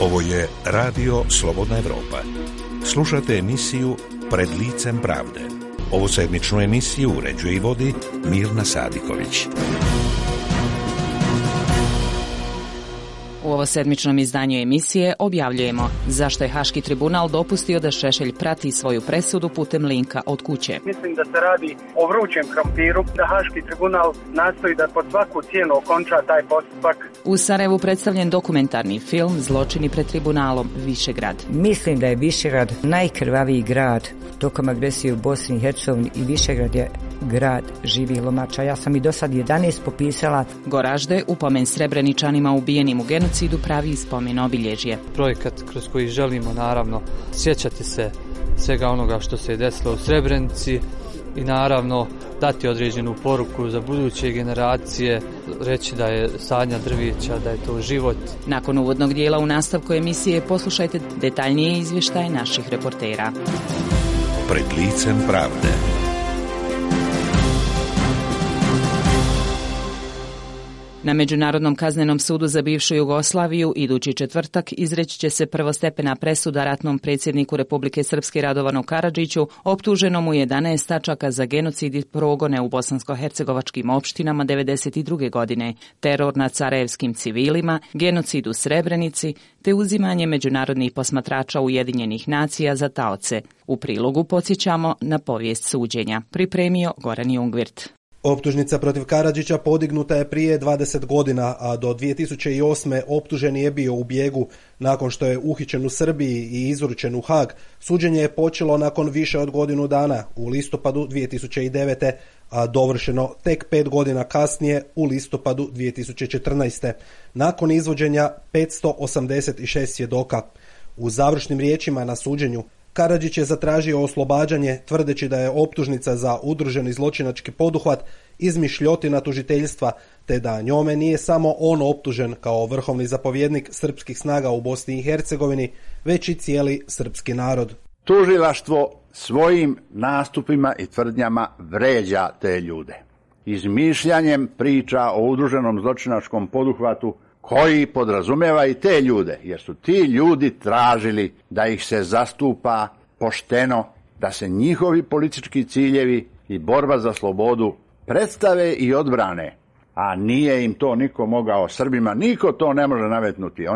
Ovo je Radio Slobodna Evropa. Slušate emisiju Pred licem pravde. Ovu sedmičnu emisiju uređuje i vodi Mirna Sadiković. U ovo sedmičnom izdanju emisije objavljujemo zašto je Haški tribunal dopustio da Šešelj prati svoju presudu putem linka od kuće. Mislim da se radi o vrućem krompiru, da Haški tribunal nastoji da pod svaku cijenu okonča taj postupak. U Sarajevu predstavljen dokumentarni film Zločini pred tribunalom Višegrad. Mislim da je Višegrad najkrvaviji grad tokom agresije u Bosni i Hercegovini i Višegrad je grad živih lomača. Ja sam i do sad 11 popisala. Goražde, upomen Srebreničanima ubijenim u genocidu, pravi spomen obilježje. Projekat kroz koji želimo naravno sjećati se svega onoga što se je desilo u Srebrenici i naravno dati određenu poruku za buduće generacije, reći da je sadnja drvića, da je to život. Nakon uvodnog dijela u nastavku emisije poslušajte detaljnije izvještaje naših reportera. Pred licem pravde. Na Međunarodnom kaznenom sudu za bivšu Jugoslaviju idući četvrtak izreći će se prvostepena presuda ratnom predsjedniku Republike Srpske Radovanu Karadžiću, optuženom u 11 tačaka za genocid i progone u bosansko-hercegovačkim opštinama 1992. godine, teror nad sarajevskim civilima, genocid u Srebrenici te uzimanje međunarodnih posmatrača Ujedinjenih nacija za taoce. U prilogu podsjećamo na povijest suđenja. Pripremio Goran Jungvirt. Optužnica protiv Karadžića podignuta je prije 20 godina, a do 2008. optuženi je bio u bijegu. Nakon što je uhićen u Srbiji i izručen u Hag, suđenje je počelo nakon više od godinu dana, u listopadu 2009. a dovršeno tek 5 godina kasnije, u listopadu 2014. Nakon izvođenja 586 svjedoka. U završnim riječima na suđenju Karadžić je zatražio oslobađanje, tvrdeći da je optužnica za udruženi zločinački poduhvat izmišljotina tužiteljstva, te da njome nije samo on optužen kao vrhovni zapovjednik srpskih snaga u Bosni i Hercegovini, već i cijeli srpski narod. Tužilaštvo svojim nastupima i tvrdnjama vređa te ljude. Izmišljanjem priča o udruženom zločinačkom poduhvatu koji podrazumijeva i te ljude, jer su ti ljudi tražili da ih se zastupa pošteno, da se njihovi politički ciljevi i borba za slobodu predstave i odbrane, a nije im to niko mogao, Srbima niko to ne može nametnuti.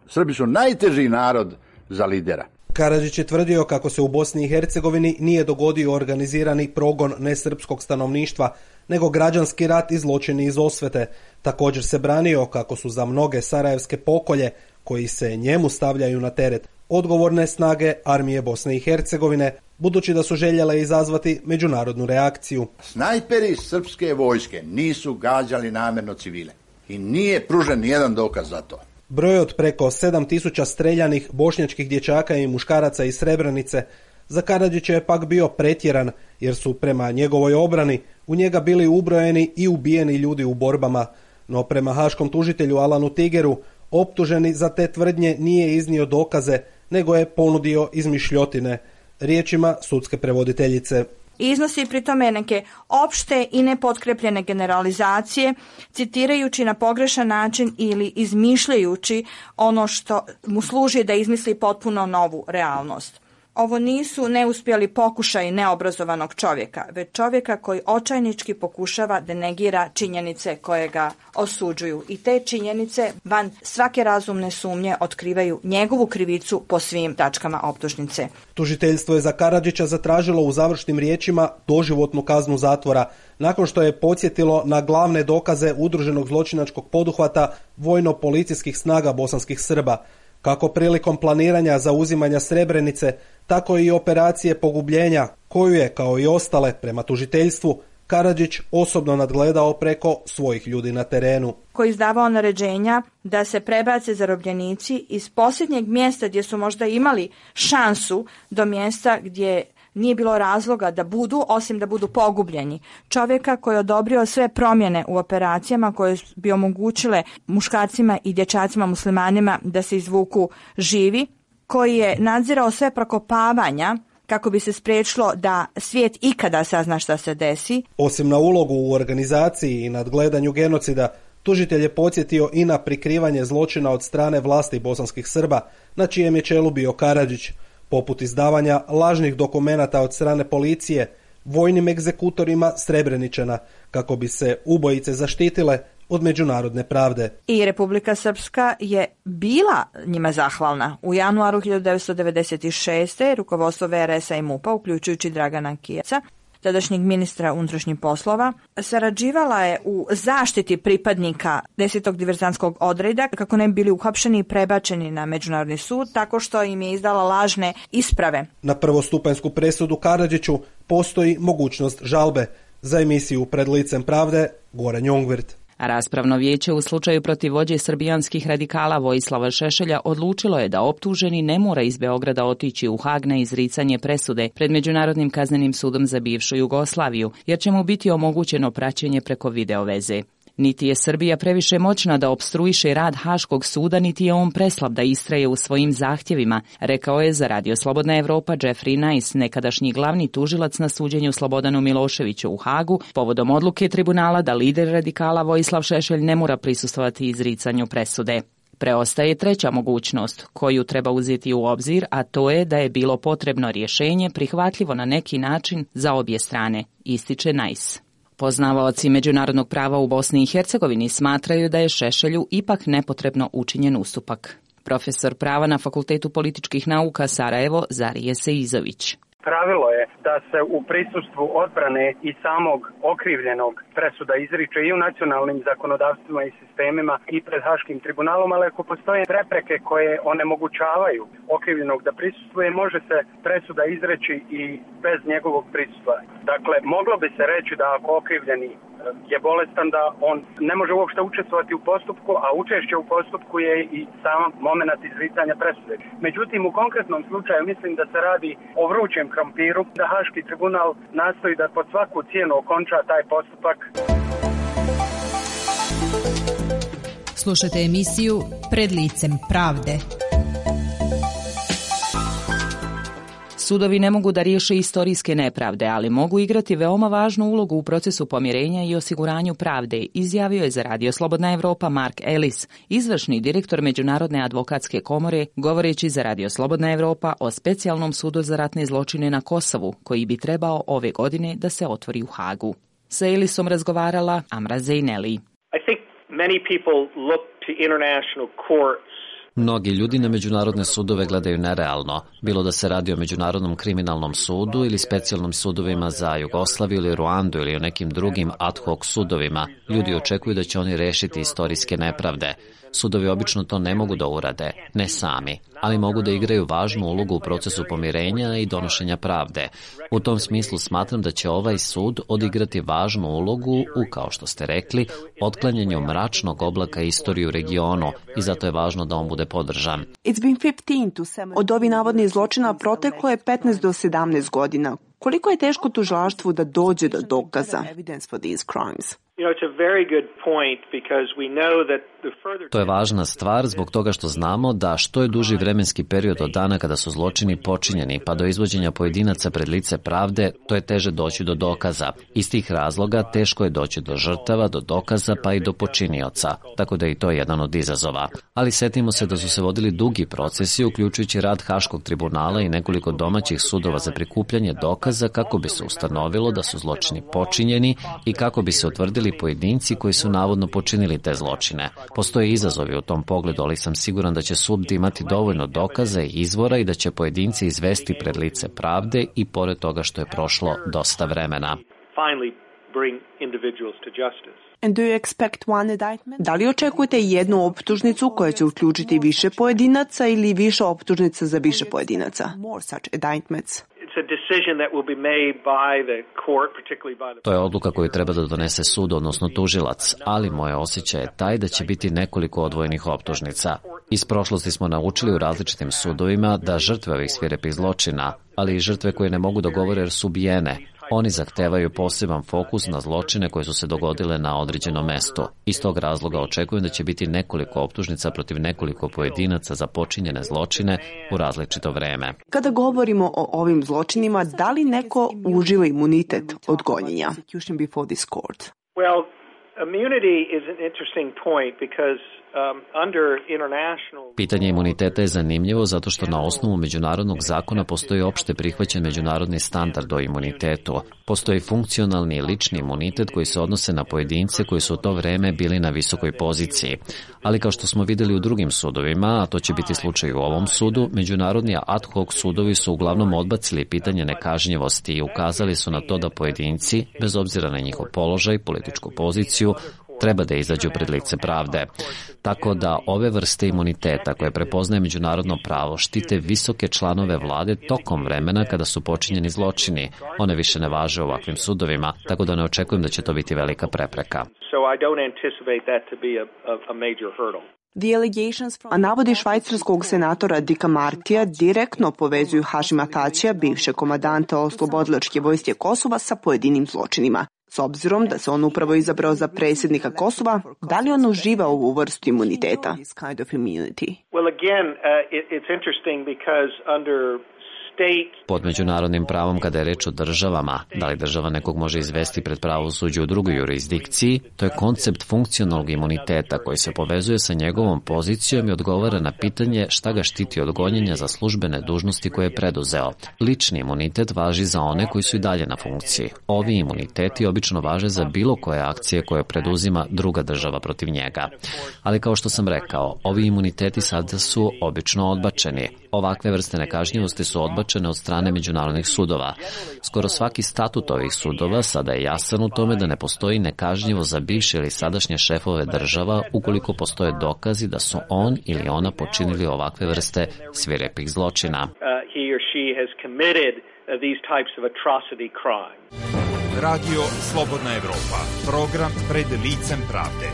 Srbi su najteži narod za lidera. Karadžić je tvrdio kako se u Bosni i Hercegovini nije dogodio organizirani progon nesrpskog stanovništva, nego građanski rat i zločini iz osvete. Također se branio kako su za mnoge sarajevske pokolje, koji se njemu stavljaju na teret, odgovorne snage armije Bosne i Hercegovine, budući da su željele izazvati međunarodnu reakciju. Snajperi srpske vojske nisu gađali namjerno civile i nije pružen nijedan dokaz za to. Broj od preko 7000 streljanih bošnjačkih dječaka i muškaraca iz Srebrenice za Karadžića je pak bio pretjeran, jer su prema njegovoj obrani u njega bili ubrojeni i ubijeni ljudi u borbama. No prema haškom tužitelju Alanu Tigeru, optuženi za te tvrdnje nije iznio dokaze, nego je ponudio izmišljotine. Riječima sudske prevoditeljice. Iznosi pri tome neke opšte i nepotkrepljene generalizacije, citirajući na pogrešan način ili izmišljajući ono što mu služi da izmisli potpuno novu realnost. Ovo nisu neuspjeli pokušaj neobrazovanog čovjeka, već čovjeka koji očajnički pokušava da negira činjenice koje ga osuđuju. I te činjenice van svake razumne sumnje otkrivaju njegovu krivicu po svim tačkama optužnice. Tužiteljstvo je za Karadžića zatražilo u završnim riječima doživotnu kaznu zatvora, nakon što je podsjetilo na glavne dokaze udruženog zločinačkog poduhvata vojno-policijskih snaga bosanskih Srba, kako prilikom planiranja zauzimanja Srebrenice, tako i operacije pogubljenja, koju je, kao i ostale prema tužiteljstvu, Karadžić osobno nadgledao preko svojih ljudi na terenu. Koji izdavao naređenja da se prebace zarobljenici iz posljednjeg mjesta gdje su možda imali šansu do mjesta gdje nije bilo razloga da budu, osim da budu pogubljeni. Čovjeka koji je odobrio sve promjene u operacijama koje bi omogućile muškarcima i dječacima muslimanima da se izvuku živi, koji je nadzirao sve prokopavanja kako bi se spriječilo da svijet ikada sazna šta se desi. Osim na ulogu u organizaciji i nadgledanju genocida, Tužitelj je podsjetio i na prikrivanje zločina od strane vlasti bosanskih Srba, na čijem je čelu bio Karadžić, poput izdavanja lažnih dokumenata od strane policije, vojnim egzekutorima Srebreničana, kako bi se ubojice zaštitile od međunarodne pravde. I Republika Srpska je bila njima zahvalna. U januaru 1996. rukovodstvo VRS-a i MUP-a, uključujući Dragana Kijaca, tadašnjeg ministra unutrašnjih poslova, sarađivala je u zaštiti pripadnika 10. diverzantskog odreda kako ne bi bili uhapšeni i prebačeni na Međunarodni sud, tako što im je izdala lažne isprave. Na prvostupanjsku presudu Karadžiću postoji mogućnost žalbe. Za emisiju Pred licem pravde, Goran Jongvirt. Raspravno vijeće u slučaju protiv vođe srbijanskih radikala Vojislava Šešelja odlučilo je da optuženi ne mora iz Beograda otići u Hag na izricanje presude pred Međunarodnim kaznenim sudom za bivšu Jugoslaviju, jer će mu biti omogućeno praćenje preko video veze. Niti je Srbija previše moćna da opstruiše rad Haškog suda, niti je on preslab da istraje u svojim zahtjevima, rekao je za Radio Slobodna Evropa Jeffrey Nice, nekadašnji glavni tužilac na suđenju Slobodanu Miloševiću u Hagu, povodom odluke tribunala da lider radikala Vojislav Šešelj ne mora prisustvovati izricanju presude. Preostaje treća mogućnost, koju treba uzeti u obzir, a to je da je bilo potrebno rješenje prihvatljivo na neki način za obje strane, ističe Nice. Poznavaoci međunarodnog prava u Bosni i Hercegovini smatraju da je Šešelju ipak nepotrebno učinjen ustupak. Profesor prava na Fakultetu političkih nauka Sarajevo, Zarije Seizović. Pravilo je da se u prisustvu odbrane i samog okrivljenog presuda izriče i u nacionalnim zakonodavstvima i sistemima i pred Haškim tribunalom, ali ako postoje prepreke koje onemogućavaju okrivljenog da prisustvuje, može se presuda izreći i bez njegovog prisustva. Dakle, moglo bi se reći da ako okrivljeni je bolestan, da on ne može uopšte učestvovati u postupku, a učešće u postupku je i sam moment izricanja presude. Međutim, u konkretnom slučaju mislim da se radi o vrućem krompiru, da Haški tribunal nastoji da pod svaku cijenu okonča taj postupak. Slušajte emisiju Pred licem pravde. Sudovi ne mogu da riješe istorijske nepravde, ali mogu igrati veoma važnu ulogu u procesu pomirenja i osiguranju pravde, izjavio je za Radio Slobodna Evropa Mark Ellis, izvršni direktor Međunarodne advokatske komore, govoreći za Radio Slobodna Evropa o specijalnom sudu za ratne zločine na Kosovu, koji bi trebao ove godine da se otvori u Hagu. Sa Ellisom razgovarala Amra Zejneli. I think many people look to international courts. Mnogi ljudi na međunarodne sudove gledaju nerealno, bilo da se radi o Međunarodnom kriminalnom sudu ili specijalnim sudovima za Jugoslaviju ili Ruandu ili o nekim drugim ad hoc sudovima. Ljudi očekuju da će oni rešiti istorijske nepravde. Sudovi obično to ne mogu da urade, ne sami, ali mogu da igraju važnu ulogu u procesu pomirenja i donošenja pravde. U tom smislu smatram da će ovaj sud odigrati važnu ulogu u, kao što ste rekli, otklanjanju mračnog oblaka istorije u regionu i zato je važno da on bude podržan. Od ovih navodnih zločina proteklo je 15 do 17 godina. Koliko je teško tužilaštvu da dođe do dokaza? To je važna stvar zbog toga što znamo da što je duži vremenski period od dana kada su zločini počinjeni pa do izvođenja pojedinaca pred lice pravde, to je teže doći do dokaza. Iz tih razloga teško je doći do žrtava, do dokaza pa i do počinioca, tako da je i to jedan od izazova. Ali setimo se da su se vodili dugi procesi, uključujući rad Haškog tribunala i nekoliko domaćih sudova za prikupljanje dokaza kako bi se ustanovilo da su zločini počinjeni i kako bi se utvrdili pojedinci koji su navodno počinili te zločine. Postoje izazovi u tom pogledu, ali sam siguran da će sud imati dovoljno dokaza i izvora i da će pojedinci izvesti pred lice pravde i pored toga što je prošlo dosta vremena. Da li očekujete jednu optužnicu koja će uključiti više pojedinaca ili više optužnica za više pojedinaca? To je odluka koju treba da donese sud, odnosno tužilac, ali moj osjećaj je taj da će biti nekoliko odvojenih optužnica. Iz prošlosti smo naučili u različitim sudovima da žrtve ovih svirepih zločina, ali i žrtve koje ne mogu da govore jer su ubijene, oni zahtevaju poseban fokus na zločine koje su se dogodile na određenom mestu. Iz tog razloga očekujem da će biti nekoliko optužnica protiv nekoliko pojedinaca za počinjene zločine u različito vreme. Kada govorimo o ovim zločinima, da li neko uživa imunitet od gonjenja? Immunity is an interesting point because Pitanje imuniteta je zanimljivo zato što na osnovu međunarodnog zakona postoji opšte prihvaćen međunarodni standard o imunitetu. Postoji funkcionalni i lični imunitet koji se odnose na pojedince koji su u to vreme bili na visokoj poziciji. Ali kao što smo videli u drugim sudovima, a to će biti slučaj u ovom sudu, međunarodni ad hoc sudovi su uglavnom odbacili pitanje nekažnjivosti i ukazali su na to da pojedinci, bez obzira na njihov položaj, političku poziciju, treba da izađu pred lice pravde. Tako da ove vrste imuniteta koje prepoznaje međunarodno pravo štite visoke članove vlade tokom vremena kada su počinjeni zločini. One više ne važe u ovakvim sudovima, tako da ne očekujem da će to biti velika prepreka. A navodi švajcarskog senatora Dicka Martija direktno povezuju Hašima Tačija, bivšeg komadanta oslobodilačke vojske Kosova, sa pojedinim zločinima. S obzirom da se on upravo izabrao za predsjednika Kosova, da li on uživa ovu vrstu imuniteta? Pod međunarodnim pravom, kada je reč o državama, da li država nekog može izvesti pred pravosuđe u drugoj jurisdikciji, to je koncept funkcionalnog imuniteta koji se povezuje sa njegovom pozicijom i odgovara na pitanje šta ga štiti od gonjenja za službene dužnosti koje je preduzeo. Lični imunitet važi za one koji su i dalje na funkciji. Ovi imuniteti obično važe za bilo koje akcije koje preduzima druga država protiv njega. Ali kao što sam rekao, ovi imuniteti sada su obično odbačeni. Ovakve vrste nekažnjivosti su odbačene od strane međunarodnih sudova. Skoro svaki statut ovih sudova sada je jasan u tome da ne postoji nekažnjivo za bivše ili sadašnje šefove država ukoliko postoje dokazi da su on ili ona počinili ovakve vrste svirepih zločina. Radio Slobodna Evropa, program Pred licem pravde.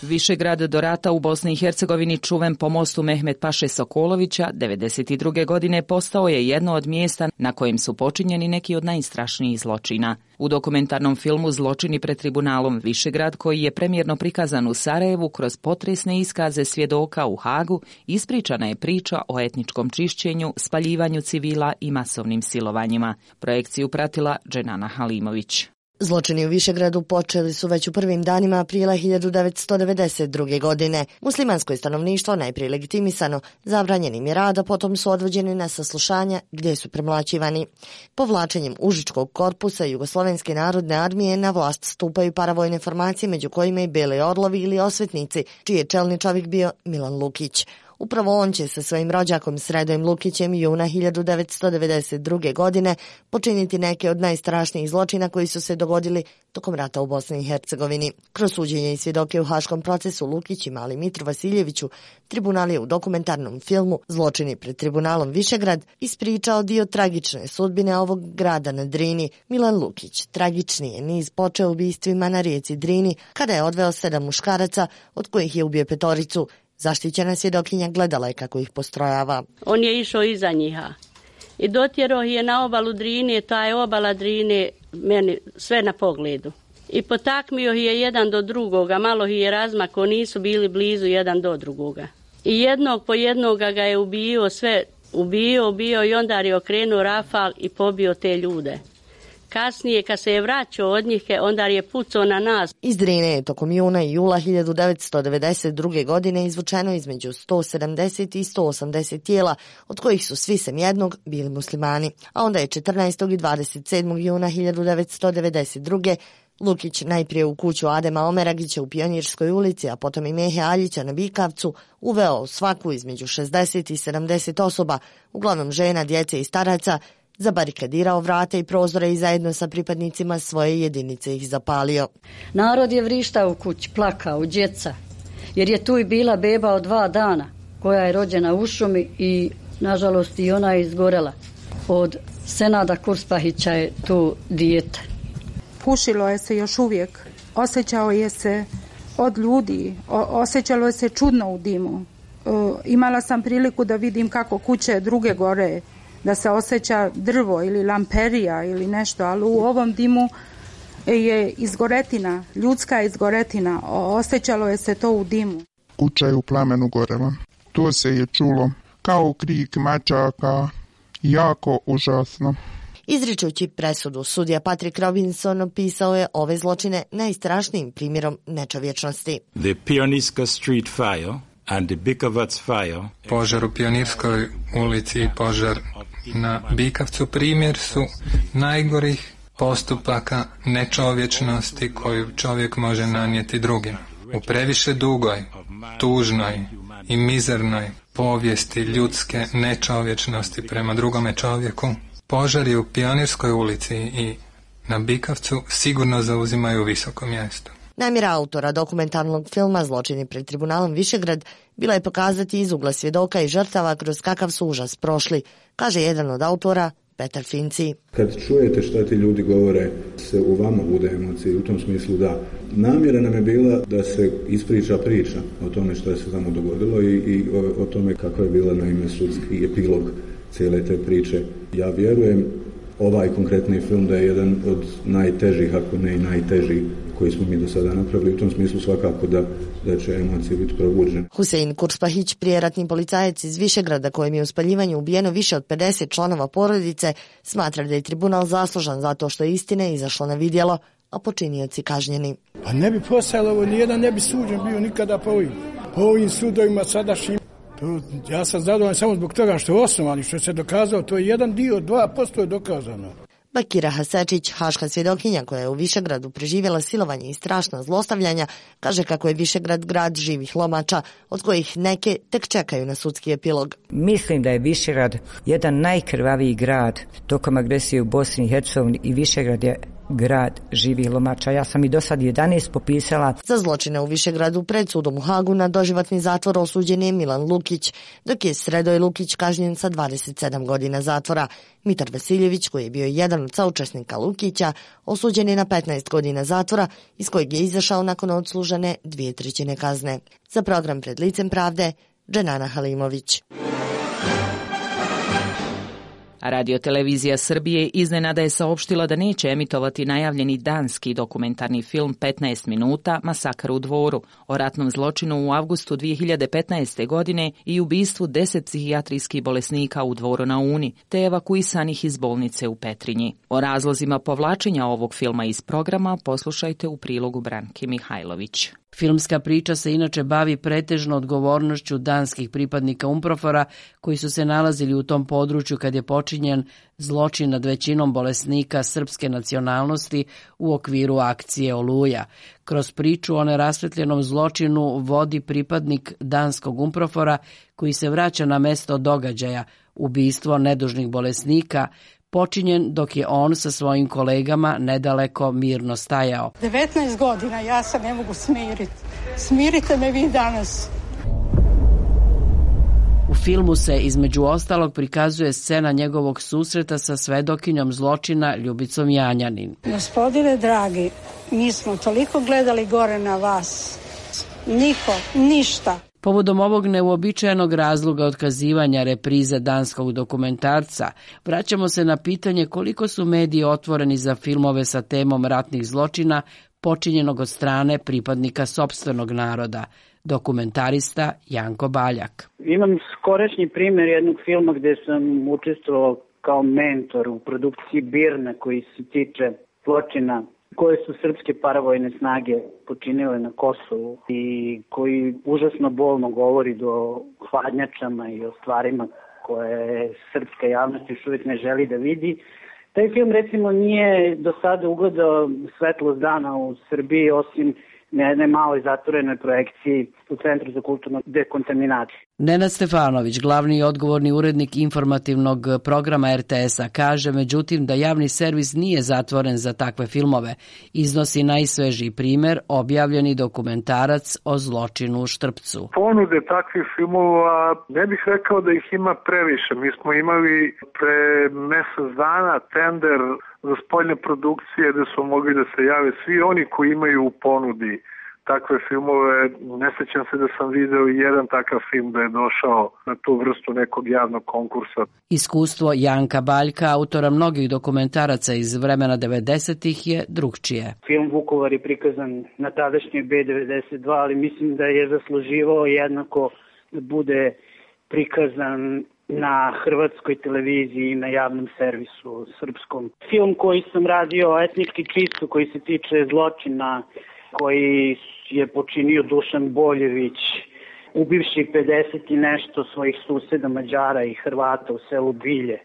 Višegrad do rata u Bosni i Hercegovini, čuven po mostu Mehmet Paše Sokolovića, 1992. godine postao je jedno od mjesta na kojem su počinjeni neki od najstrašnijih zločina. U dokumentarnom filmu Zločini pred tribunalom Višegrad, koji je premijerno prikazan u Sarajevu kroz potresne iskaze svjedoka u Hagu, ispričana je priča o etničkom čišćenju, spaljivanju civila i masovnim silovanjima. Projekciju pratila Dženana Halimović. Zločini u Višegradu počeli su već u prvim danima aprila 1992. godine. Muslimansko je stanovništvo najprije legitimisano, zabranjenim je rad, a potom su odvođeni na saslušanja gdje su premlaćivani. Povlačenjem Užičkog korpusa Jugoslovenske narodne armije na vlast stupaju paravojne formacije, među kojima i Beli orlovi ili osvetnici, čiji je čelni čovjek bio Milan Lukić. Upravo on će sa svojim rođakom Sredojem Lukićem juna 1992. godine počiniti neke od najstrašnijih zločina koji su se dogodili tokom rata u Bosni i Hercegovini. Kroz suđenje i svjedoke u haškom procesu Lukić i mali Mitru Vasiljeviću, tribunal je u dokumentarnom filmu Zločini pred tribunalom Višegrad ispričao dio tragične sudbine ovog grada na Drini. Milan Lukić tragični je niz počeo ubistvima na rijeci Drini kada je odveo 7 muškaraca, od kojih je ubio 5. Zaštićena svjedokinja gledala je kako ih postrojava. On je išao iza njiha i dotjerao je na obalu Drine, ta je obala Drine meni sve na pogledu. I potakmio je jedan do drugoga, malo je razmako, nisu bili blizu jedan do drugoga. I jednog po jednoga ga je ubio i onda je okrenuo rafal i pobio te ljude. Kasnije, kad se je vraćao od njih, onda je pucao na nas. Iz Drine je tokom juna i jula 1992. godine izvučeno između 170 i 180 tijela, od kojih su svi sem jednog bili muslimani. A onda je 14. i 27. juna 1992. Lukić najprije u kuću Adema Omeragića u Pionirskoj ulici, a potom i Mehe Aljića na Bikavcu, uveo svaku između 60 i 70 osoba, uglavnom žena, djece i staraca, zabarikadirao vrate i prozore i zajedno sa pripadnicima svoje jedinice ih zapalio. Narod je vrištao u kući, plakao, djeca, jer je tu i bila beba od 2 dana, koja je rođena u šumi i, nažalost, i ona je izgorela. Od Senada Kurspahića je tu dijete. Pušilo je se još uvijek, osjećao je se od ljudi, osjećalo je se čudno u dimu. Imala sam priliku da vidim kako kuće druge gore, da se osjeća drvo ili lamperija ili nešto, ali u ovom dimu je izgoretina, ljudska izgoretina, osjećalo je se to u dimu. Kuća je u plamenu gorela. To se je čulo kao krik mačaka, jako užasno. Izričući presudu, sudija Patrick Robinson opisao je ove zločine najstrašnijim primjerom nečovječnosti. The Pionirska Street Fire and the Bikovac Fire. Požar u Pionirskoj ulici i požar na Bikavcu primjer su najgorih postupaka nečovječnosti koju čovjek može nanijeti drugim. U previše dugoj, tužnoj i mizernoj povijesti ljudske nečovječnosti prema drugome čovjeku, požari u Pionirskoj ulici i na Bikavcu sigurno zauzimaju visoko mjesto. Namjera autora dokumentarnog filma Zločini pred tribunalom Višegrad bila je pokazati iz ugla svjedoka i žrtava kroz kakav su užas prošli, kaže jedan od autora, Petar Finci. Kad čujete šta ti ljudi govore, se u vama bude emocije, u tom smislu da. Namjera nam je bila da se ispriča priča o tome što se tamo dogodilo i o tome kako je bila naime sudski epilog cijele te priče. Ja vjerujem ovaj konkretni film da je jedan od najtežih, ako ne i najteži koji smo mi do sada napravili. U tom smislu svakako da će emocije biti probuđene. Husein Kurspahić, prijeratni policajac iz Višegrada kojem je u spaljivanju ubijeno više od 50 članova porodice, smatra da je tribunal zaslužan zato što je istine izašlo na vidjelo, a počinioci kažnjeni. Pa ne bi postojalo ovo, nijedan ne bi suđen bio nikada po ovim sudovima sadašnjim. Ja sam zadovoljan samo zbog toga što je osnovan i što se dokazao, to je jedan dio, 2% je dokazano. Bakira Hasečić, haška svjedokinja koja je u Višegradu preživjela silovanje i strašna zlostavljanja, kaže kako je Višegrad grad živih lomača, od kojih neke tek čekaju na sudski epilog. Mislim da je Višegrad jedan najkrvaviji grad tokom agresije u Bosni i Hercegovini i Višegrad je grad živih lomača. Ja sam i do sad 11 popisala. Za zločine u Višegradu pred sudom u Hagu na doživotni zatvor osuđen je Milan Lukić, dok je Sredoj Lukić kažnjen sa 27 godina zatvora. Mitar Vasiljević, koji je bio jedan od saučesnika Lukića, osuđen je na 15 godina zatvora, iz kojeg je izašao nakon odslužene 2/3 kazne. Za program Pred licem pravde, Dženana Halimović. Radio-televizija Srbije iznenada je saopštila da neće emitovati najavljeni danski dokumentarni film 15 minuta Masakar u Dvoru o ratnom zločinu u avgustu 2015. godine i ubistvu 10 psihijatrijskih bolesnika u Dvoru na Uni, te evakuisanih iz bolnice u Petrinji. O razlozima povlačenja ovog filma iz programa poslušajte u prilogu Branke Mihajlović. Filmska priča se inače bavi pretežno odgovornošću danskih pripadnika UNPROFOR-a koji su se nalazili u tom području kad je počinjen zločin nad većinom bolesnika srpske nacionalnosti u okviru akcije Oluja. Kroz priču o nerasvetljenom zločinu vodi pripadnik danskog UNPROFOR-a koji se vraća na mesto događaja, ubistvo nedužnih bolesnika, počinjen dok je on sa svojim kolegama nedaleko mirno stajao. 19 godina, ja se ne mogu smiriti. Smirite me vi danas. U filmu se između ostalog prikazuje scena njegovog susreta sa svedokinjom zločina Ljubicom Janjanin. Gospodine dragi, mi smo toliko gledali gore na vas. Niko, ništa. Povodom ovog neuobičajenog razloga otkazivanja reprize danskog dokumentarca, vraćamo se na pitanje koliko su mediji otvoreni za filmove sa temom ratnih zločina počinjenog od strane pripadnika sopstvenog naroda. Dokumentarista Janko Baljak. Imam skorašnji primjer jednog filma gdje sam učestvovao kao mentor u produkciji Birna koji se tiče zločina koje su srpske paravojne snage počinile na Kosovu i koji užasno bolno govori do hladnjačama i o stvarima koje srpska javnost još uvijek ne želi da vidi. Taj film recimo nije do sada ugledao svetlost dana u Srbiji osim na jednoj maloj zatvorenoj projekciji u Centru za kulturnu dekontaminaciju. Nenad Stefanović, glavni i odgovorni urednik informativnog programa RTS-a, kaže međutim da javni servis nije zatvoren za takve filmove. Iznosi najsvežiji primjer, objavljeni dokumentarac o zločinu u Štrpcu. Ponude takvih filmova, ne bih rekao da ih ima previše. Mi smo imali pre mjesec dana tender za spoljne produkcije gdje su mogli da se jave svi oni koji imaju u ponudi takve filmove. Ne sjećam se da sam video i jedan takav film da je došao na tu vrstu nekog javnog konkursa. Iskustvo Janka Baljka, autora mnogih dokumentaraca iz vremena 90-ih, je drugčije. Film Vukovar je prikazan na tadašnjoj B92, ali mislim da je zasluživao jednako da bude prikazan na hrvatskoj televiziji i na javnom servisu srpskom. Film koji sam radio, etnički čisto, koji se tiče zločina koji je počinio Dušan Boljević, ubivši 50 i nešto svojih suseda Mađara i Hrvata u selu Bilje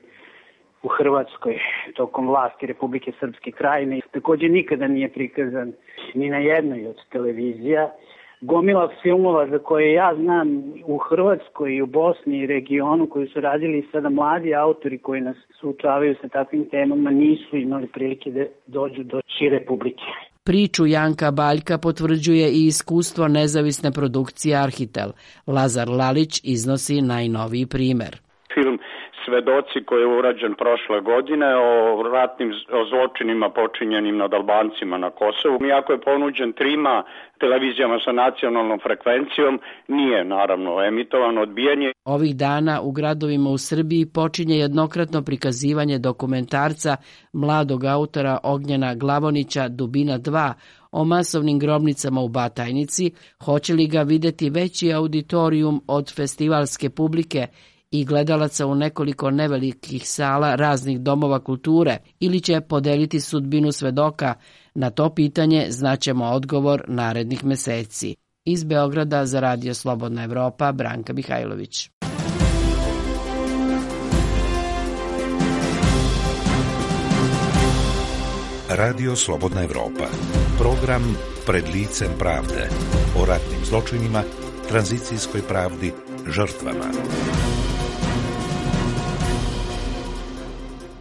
u Hrvatskoj tokom vlasti Republike Srpske Krajine. Također nikada nije prikazan ni na jednoj od televizija. Gomila filmova za koje ja znam u Hrvatskoj i u Bosni i regionu koji su radili sada mladi autori koji nas suočavaju sa takvim temama nisu imali prilike da dođu do šire publike. Priču Janka Baljka potvrđuje i iskustvo nezavisne produkcije Arhitel. Lazar Lalić iznosi najnoviji primjer. Film Svedoci koji je urađen prošle godine o zločinima počinjenim nad Albancima na Kosovu. Iako je ponuđen trima televizijama sa nacionalnom frekvencijom, nije naravno emitovan, odbijanje. Ovih dana u gradovima u Srbiji počinje jednokratno prikazivanje dokumentarca mladog autora Ognjena Glavonića Dubina 2 o masovnim grobnicama u Batajnici. Hoće li ga vidjeti veći auditorijum od festivalske publike i gledalaca u nekoliko nevelikih sala raznih domova kulture ili će podeliti sudbinu svedoka? Na to pitanje znaćemo odgovor narednih meseci. Iz Beograda za Radio Slobodna Evropa, Branka Mihajlović. Radio Slobodna Evropa. Program Pred licem pravde. O ratnim zločinima, tranzicijskoj pravdi, žrtvama.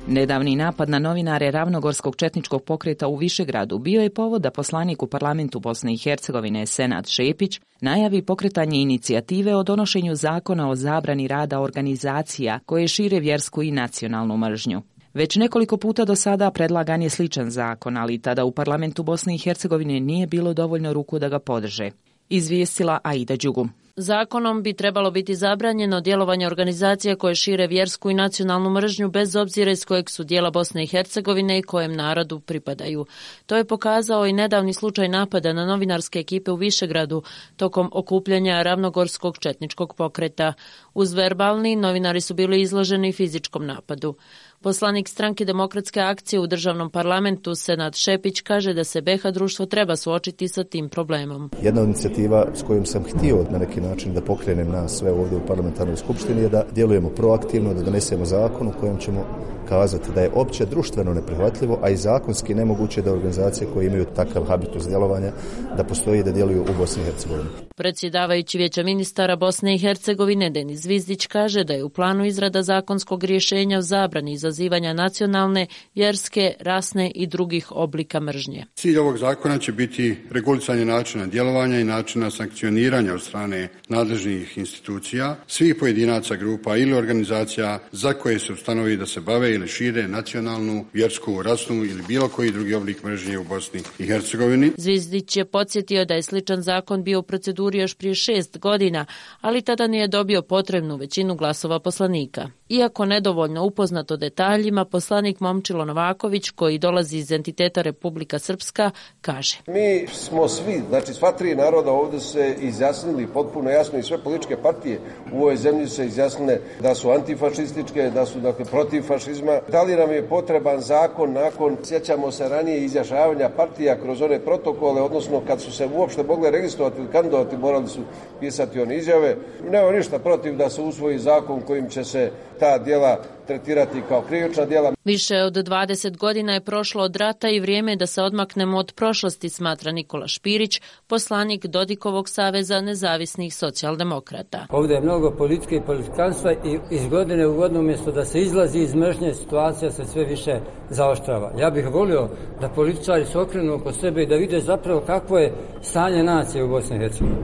Nedavni napad na novinare Ravnogorskog četničkog pokreta u Višegradu bio je povod da poslanik u parlamentu Bosne i Hercegovine Senad Šepić najavi pokretanje inicijative o donošenju zakona o zabrani rada organizacija koje šire vjersku i nacionalnu mržnju. Već nekoliko puta do sada predlagan je sličan zakon, ali tada u parlamentu Bosne i Hercegovine nije bilo dovoljno ruku da ga podrže. Izvijestila Aida Đugum. Zakonom bi trebalo biti zabranjeno djelovanje organizacija koje šire vjersku i nacionalnu mržnju bez obzira iz kojeg su dijela Bosne i Hercegovine i kojem narodu pripadaju. To je pokazao i nedavni slučaj napada na novinarske ekipe u Višegradu tokom okupljanja Ravnogorskog četničkog pokreta. Uz verbalni, novinari su bili izloženi fizičkom napadu. Poslanik stranke Demokratske akcije u državnom parlamentu Senad Šepić kaže da se BiH društvo treba suočiti sa tim problemom. Jedna od inicijativa s kojom sam htio na neki način da pokrenem nas sve ovdje u parlamentarnoj skupštini je da djelujemo proaktivno, da donesemo zakon u kojem ćemo kazati da je opće društveno neprihvatljivo, a i zakonski nemoguće da organizacije koje imaju takav habitus djelovanja da postoji i da djeluju u Bosni i Hercegovini. Predsjedavajući Vijeća ministara Bosne i Hercegovine Denis Zvizdić kaže da je u planu izrada zakonskog rješenja o zabrani izazivanja nacionalne, vjerske, rasne i drugih oblika mržnje. Cilj ovog zakona će biti regulisanje načina djelovanja i načina sankcioniranja od strane nadležnih institucija, svih pojedinaca, grupa ili organizacija za koje se ustanovi da se bave ili šire nacionalnu, vjersku, rasnu ili bilo koji drugi oblik mržnje u Bosni i Hercegovini. Zvizdić je podsjetio da je sličan zakon bio u proceduri još prije 6 godina, ali tada nije dobio potrebnu većinu glasova poslanika. Iako nedovoljno upoznat o detaljima, poslanik Momčilo Novaković, koji dolazi iz entiteta Republika Srpska, kaže: Mi smo svi, znači sva tri naroda ovdje se izjasnili potpuno jasno i sve političke partije u ovoj zemlji se izjasnile da su antifašističke, da su dakle protiv fašizma. Da li nam je potreban zakon nakon, sjećamo se ranije izjašnjavanja partija kroz one protokole, odnosno kad su se uopšte mogle registrovati ili kandidovati, morali su pisati one izjave. Nema ništa protiv da se usvoji zakon kojim će se ta djela tretirati kao krivična djela. Više od 20 godina je prošlo od rata i vrijeme je da se odmaknemo od prošlosti, smatra Nikola Špirić, poslanik Dodikovog saveza nezavisnih socijaldemokrata. Ovdje je mnogo politike i politikanstva i iz godine u godinu umjesto da se izlazi iz mržnje, situacija se sve više zaoštrava. Ja bih volio da političari se okrenu oko sebe i da vide zapravo kakvo je stanje nacije u Bosni i Hercegovini.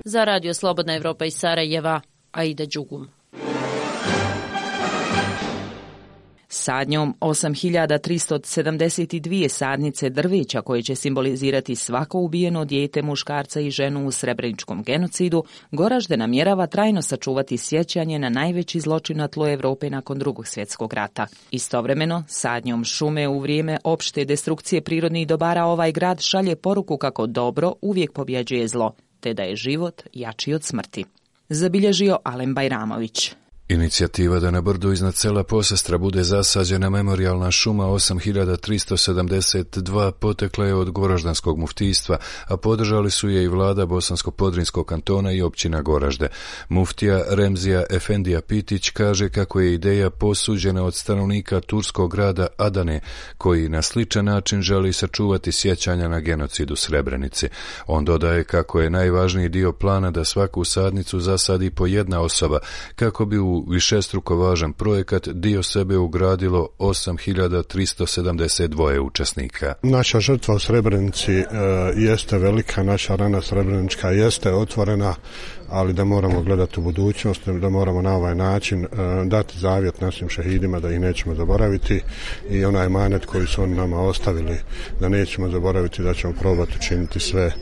Za Radio Slobodna Evropa iz Sarajeva, Aida Đugum. Sadnjom 8372 sadnice drveća koje će simbolizirati svako ubijeno dijete, muškarca i ženu u srebreničkom genocidu, Goražde namjerava trajno sačuvati sjećanje na najveći zločin na tlu Evrope nakon Drugog svjetskog rata. Istovremeno, sadnjom šume u vrijeme opšte destrukcije prirodnih dobara ovaj grad šalje poruku kako dobro uvijek pobjeđuje zlo, te da je život jači od smrti. Zabilježio Alen Bajramović. Inicijativa da na brdu iznad sela Posestra bude zasađena memorijalna šuma 8372 potekla je od Goraždanskog muftijstva, a podržali su je i vlada Bosansko-Podrinjskog kantona i općina Goražde. Muftija Remzija Efendija Pitić kaže kako je ideja posuđena od stanovnika turskog grada Adane, koji na sličan način želi sačuvati sjećanja na genocid u Srebrenici. On dodaje kako je najvažniji dio plana da svaku sadnicu zasadi po jedna osoba, kako bi u višestruko važan projekat dio sebe ugradilo 8372 učesnika. Naša žrtva u Srebrenici jeste velika, naša rana srebrenička jeste otvorena, ali da moramo gledati u budućnost, da moramo na ovaj način dati zavjet našim šehidima da ih nećemo zaboraviti i onaj emanet koji su oni nama ostavili da nećemo zaboraviti, da ćemo probati učiniti sve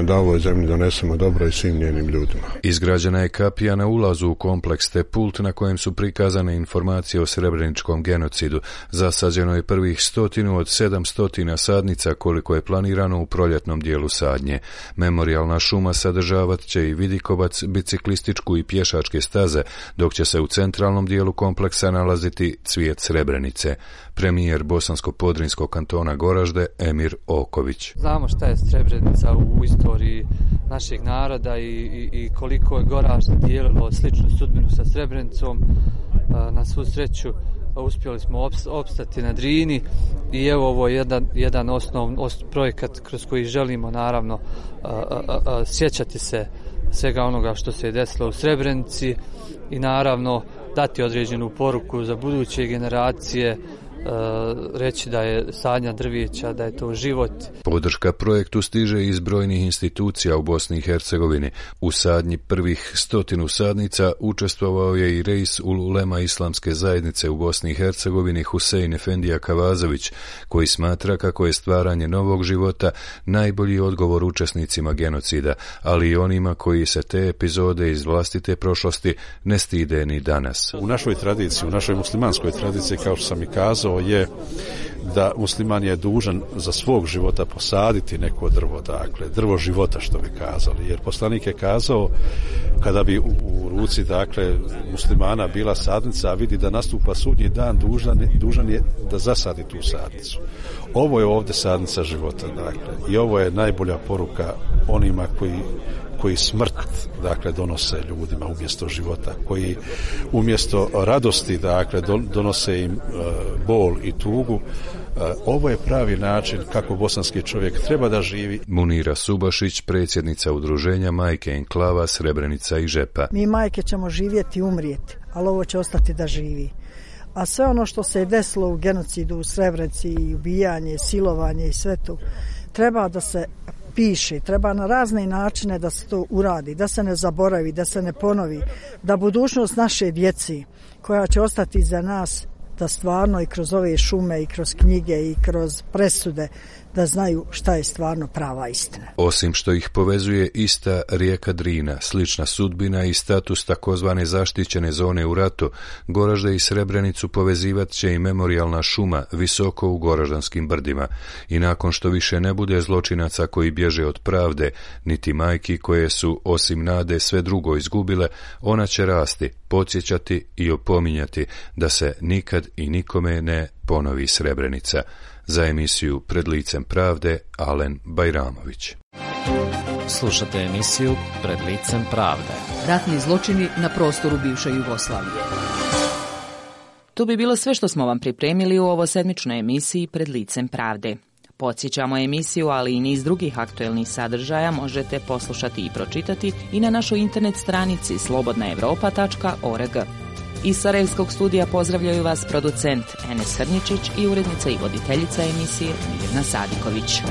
da ovoj zemlji donesemo dobro i svim njenim ljudima. Izgrađena je kapija na ulazu u kompleks te pult na kojem su prikazane informacije o srebreničkom genocidu. Zasađeno je prvih 100 od 700 sadnica koliko je planirano u proljetnom dijelu sadnje. Memorijalna šuma sadržavat će i vidikovac, biciklističku i pješačke staze, dok će se u centralnom dijelu kompleksa nalaziti cvijet Srebrenice. Premijer Bosansko-Podrinjskog kantona Goražde Emir Oković. Znamo šta je Srebrenica u istoriji našeg naroda i koliko je Goražde dijelilo sličnu sudbinu sa Srebrenicom. Na svu sreću uspjeli smo opstati na Drini i evo ovo je jedan projekat kroz koji želimo naravno sjećati se svega onoga što se je desilo u Srebrenici i naravno dati određenu poruku za buduće generacije, reći da je sadnja drvijeća, da je to život. Podrška projektu stiže iz brojnih institucija u Bosni i Hercegovini. U sadnji prvih 100 sadnica učestvovao je i reis ulema Islamske zajednice u Bosni i Hercegovini Husein Efendija Kavazović, koji smatra kako je stvaranje novog života najbolji odgovor učesnicima genocida, ali i onima koji se te epizode iz vlastite prošlosti ne stide ni danas. U našoj tradiciji, u našoj muslimanskoj tradiciji, kao što sam i kazao, je da musliman je dužan za svog života posaditi neko drvo, dakle, drvo života, što bi kazali. Jer poslanik je kazao, kada bi u ruci, dakle, muslimana bila sadnica, a vidi da nastupa sudnji dan, dužan je da zasadi tu sadnicu. Ovo je ovdje sadnica života, dakle, i ovo je najbolja poruka onima koji smrt, dakle, donose ljudima umjesto života, koji umjesto radosti, dakle, donose im bol i tugu. Ovo je pravi način kako bosanski čovjek treba da živi. Munira Subašić, predsjednica udruženja Majke Enklava Srebrenica i Žepa. Mi majke ćemo živjeti i umrijeti, ali ovo će ostati da živi. A sve ono što se je desilo u genocidu u Srebrenici, i ubijanje, silovanje i sve to, treba da se piše, treba na razne načine da se to uradi, da se ne zaboravi, da se ne ponovi, da budućnost naše djeci koja će ostati za nas, da stvarno i kroz ove šume i kroz knjige i kroz presude da znaju šta je stvarno prava istina. Osim što ih povezuje ista rijeka Drina, slična sudbina i status takozvane zaštićene zone u ratu, Goražde i Srebrenicu povezivat će i memorijalna šuma visoko u Goraždanskim brdima. I nakon što više ne bude zločinaca koji bježe od pravde, niti majki koje su osim nade sve drugo izgubile, ona će rasti, podsjećati i opominjati da se nikad i nikome ne ponovi Srebrenica. Za emisiju Pred licem pravde, Alen Bajramović. Slušate emisiju Pred licem pravde. Ratni zločini na prostoru bivše Jugoslavije. To bi bilo sve što smo vam pripremili u ovosedmičnoj emisiji Pred licem pravde. Podsjećamo emisiju, ali i niz drugih aktuelnih sadržaja možete poslušati i pročitati i na našoj internet stranici slobodnaevropa.org. Iz Sarajevskog studija pozdravljaju vas producent Enes Hrničić i urednica i voditeljica emisije Mirna Sadiković.